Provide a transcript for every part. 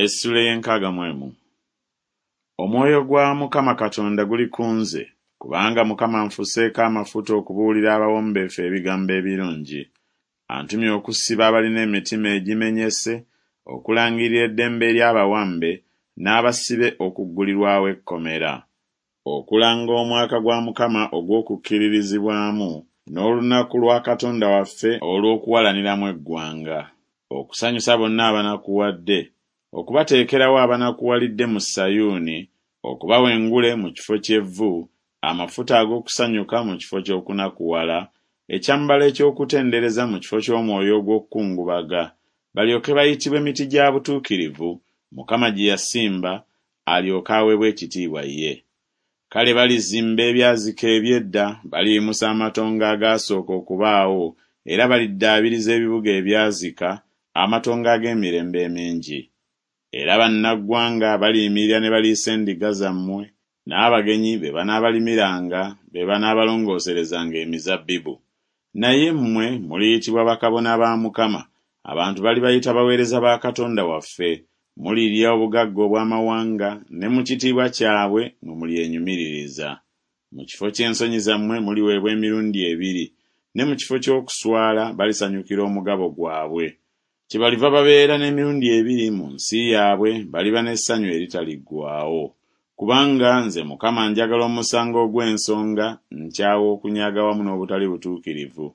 Essuula ey'enkaaga mu emu. Omwoyo gwa Mukama Katonda guli ku nze, kubanga Mukama anfuseeko amafuta okubuulira abawombeefu ebigambo ebirungi. Antumye okusiba abalina emitima egimenyese, okulangirira eddembe eri abawambe, n'abasibe okuggulirwawo ekkomera. Okulanga omwaka gwa Mukama ogw'okukkiririzibwamu, n'olunaku lwa Katonda waffe olw'okuwalaniramu eggwanga. Okusanyusa bonna abanakuwadde, okubateekerawo abanakuwalidde mu Sayuuni, okubawa engule mu kifo ky'evvu, amafuta ag'okusanyuka mu kifo ky'okunakuwala, ekyambalo eky'okutendereza mu kifo ky'omwoyo ogw'okukungubaga, balyoke bayitibwe miti gya butuukirivu, Mukama gye yasimba, alyoke aweebwe ekitiibwa ye. Kale balizimba ebyazika eby'edda, baliyimusa amatongo agaasooka okubaawo, era baliddaabiriza ebibuga ebyazika, amatongo ag'emirembe emingi. Era bannaggwanga baliyimirira ne baliisa endiga zammwe, n'abagenyi be banaabalimiranga, be banaabalongooserezanga emizabbibu. Naye mmwe muliyitibwa bakabona ba Mukama, abantu balibayita baweereza ba Katonda waffe. Mulirya obugagga obw'amawanga, ne mu kitiibwa kyabwe mwe mulyenyumiririza. Mu kifo ky'ensonyi zammwe muliweebwa emirundi ebiri, ne mu kifo ky'okuswala balisanyukira omugabo gwabwe. Kyebaliva babeera n'emirundi ebiri mu nsi yaabwe, baliba n'essanyu eritaliggwaawo. Kubanga nze Mukama njagala omusango ogw'ensonga, nkyawa okunyaga wamu n'obutali butuukirivu.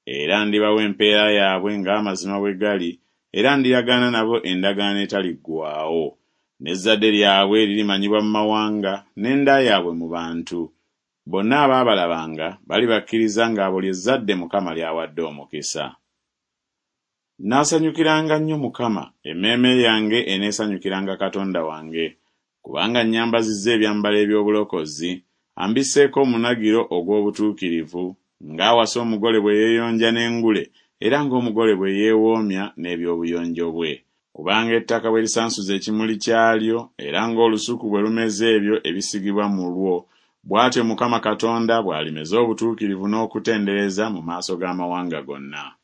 Era ndibawa empeera yaabwe ng'amazima bwe gali, era ndiragaana nabo endagaano etaliggwaawo. N'ezzadde lyabwe lirimanyibwa mu mawanga, n'enda yaabwe mu bantu. Bonna abaabalabanga balibakkiriza ng'abo lye zzadde Mukama ly'awadde omukisa. Nnaasanyukiranga nnyo Mukama, emmeeme yange eneesanyukiranga Katonda wange. Kubanga annyambazizza ebyambalo eby'obulokozi, ambisseeko omunagiro ogw'obutuukirivu, ng'awasa omugole bwe yeeyonja n'engule, era ng'omugole bwe yeewoomya n'eby'obuyonjo bwe. Kubanga ettaka bwe lisansuza ekimuli kyalyo, era ng'olusuku bwe lumeza ebyo ebisigibwa mu lwo, bw'atyo Mukama Katonda bw'alimeza obutuukirivu n'okutendereza mu maaso g'amawanga gonna.